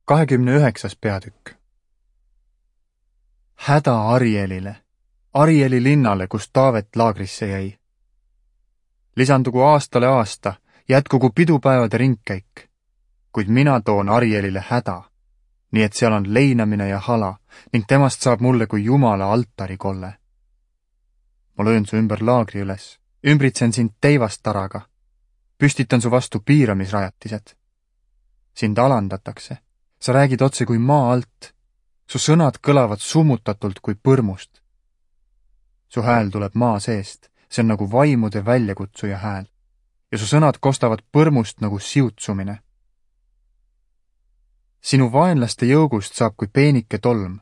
29. peatükk. Häda Arielile, Arieli linnale, kus Taavet laagrisse jäi. Lisandugu aastale aasta, jätkugu pidupäevade ringkäik, kuid mina toon Arielile häda, nii et seal on leinamine ja hala ning temast saab mulle kui Jumala altarikolle. Ma löön su ümber laagri üles, ümbritsen sind teivastaraga, püstitan su vastu piiramisrajatised. Sind alandatakse, sa räägid otse kui maa alt, su sõnad kõlavad summutatult kui põrmust. Su hääl tuleb maa seest, see on nagu vaimude väljakutsuja hääl, ja su sõnad kostavad põrmust nagu siutsumine. Sinu vaenlaste jõugust saab kui peenike tolm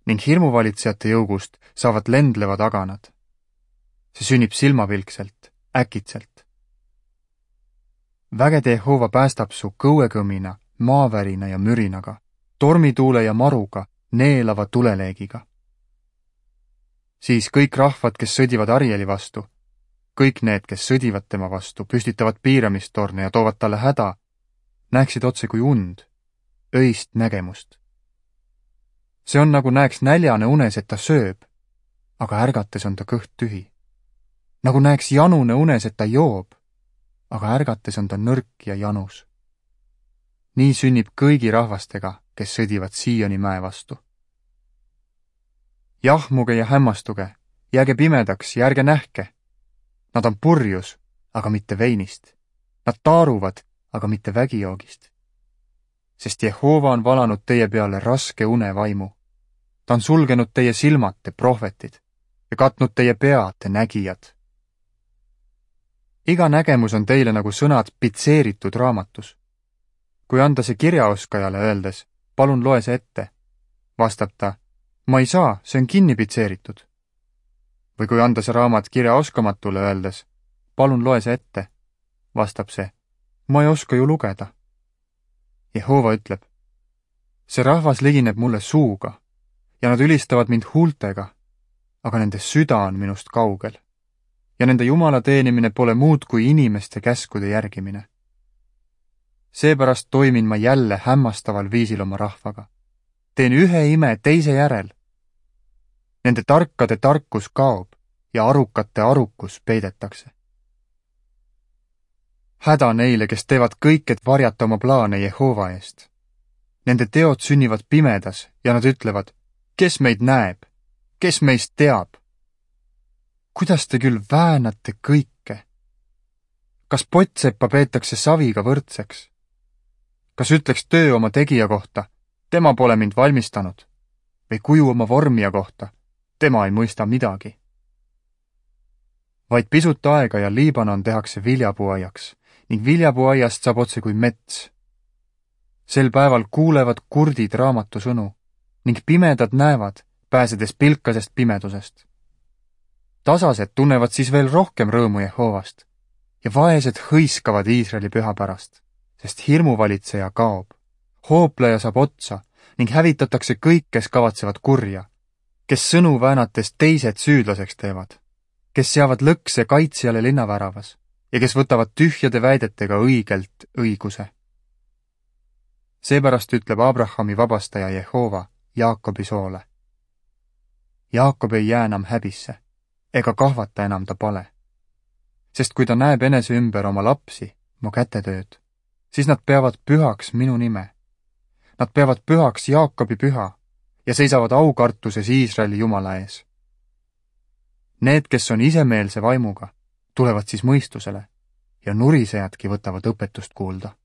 ning hirmuvalitsejate jõugust saavad lendlevad aganad. See sünnib silmapilkselt, äkitselt. Vägede Jehova päästab su kõuekõmina, maavärina ja mürinaga, tormituule ja maruga, neelava tuleleegiga. Siis kõik rahvad, kes sõdivad Arieli vastu, kõik need, kes sõdivad tema vastu, püstitavad piiramistorne ja toovad talle häda, näeksid otse kui und, öist nägemust. See on nagu näeks näljane unes, et ta sööb, aga ärgates on ta kõht tühi. Nagu näeks janune unes, et ta joob, aga ärgates on ta nõrk ja janus. Nii sünnib kõigi rahvastega, kes sõdivad Sioni mäe vastu. Jahmuge ja hämmastuge, jääge pimedaks ja ärge nähke. Nad on purjus, aga mitte veinist. Nad taaruvad, aga mitte vägijoogist. Sest Jehova on valanud teie peale raske unevaimu. Ta on sulgenud teie silmad, te prohvetid, ja katnud teie pea, te nägijad. Iga nägemus on teile nagu sõnad pitseeritud raamatus. Kui anda see kirjaoskajale öeldes, palun loe see ette, vastab ta, ma ei saa, see on kinni pitseeritud. Või kui anda see raamat kirjaoskamatule öeldes, palun loe see ette, vastab see, ma ei oska ju lugeda. Jehova ütleb, see rahvas ligineb mulle suuga ja nad ülistavad mind huultega, aga nende süda on minust kaugel ja nende Jumala teenimine pole muud kui inimeste käskude järgimine. Seepärast toimin ma jälle hämmastaval viisil oma rahvaga. Teen ühe ime teise järel. Nende tarkade tarkus kaob ja arukate arukus peidetakse. Häda neile, kes teevad kõik, et varjata oma plaane Jehova eest. Nende teod sünnivad pimedas ja nad ütlevad, kes meid näeb, kes meist teab. Kuidas te küll väänate kõike? Kas pottseppa peetakse saviga võrdseks? Kas ütleks töö oma tegija kohta, tema pole mind valmistanud, või kuju oma vormija kohta, tema ei mõista midagi? Vaid pisut aega ja Liibanon tehakse viljapuuaiaks ning viljapuuaiast saab otse kui mets. Sel päeval kuulevad kurdid raamatu sõnu ning pimedad näevad, pääsedes pilkasest pimedusest. Tasased tunnevad siis veel rohkem rõõmu Jehovast ja vaesed hõiskavad Iisraeli püha pärast, sest hirmuvalitseja kaob, hoopleja saab otsa ning hävitatakse kõik, kes kavatsevad kurja, kes sõnu väänates teised süüdlaseks teevad, kes seavad lõkse kaitsjale linnaväravas ja kes võtavad tühjade väidetega õigelt õiguse. Seepärast ütleb Abrahami vabastaja Jehova Jaakobi soole. Jaakob ei jää enam häbisse ega kahvata enam ta pale. Sest kui ta näeb enese ümber oma lapsi, mu kätetööd, siis nad peavad pühaks minu nime. Nad peavad pühaks Jaakobi püha ja seisavad aukartuses Iisraeli Jumala ees. Need, kes on isemeelse vaimuga, tulevad siis mõistusele ja nurisejadki võtavad õpetust kuulda.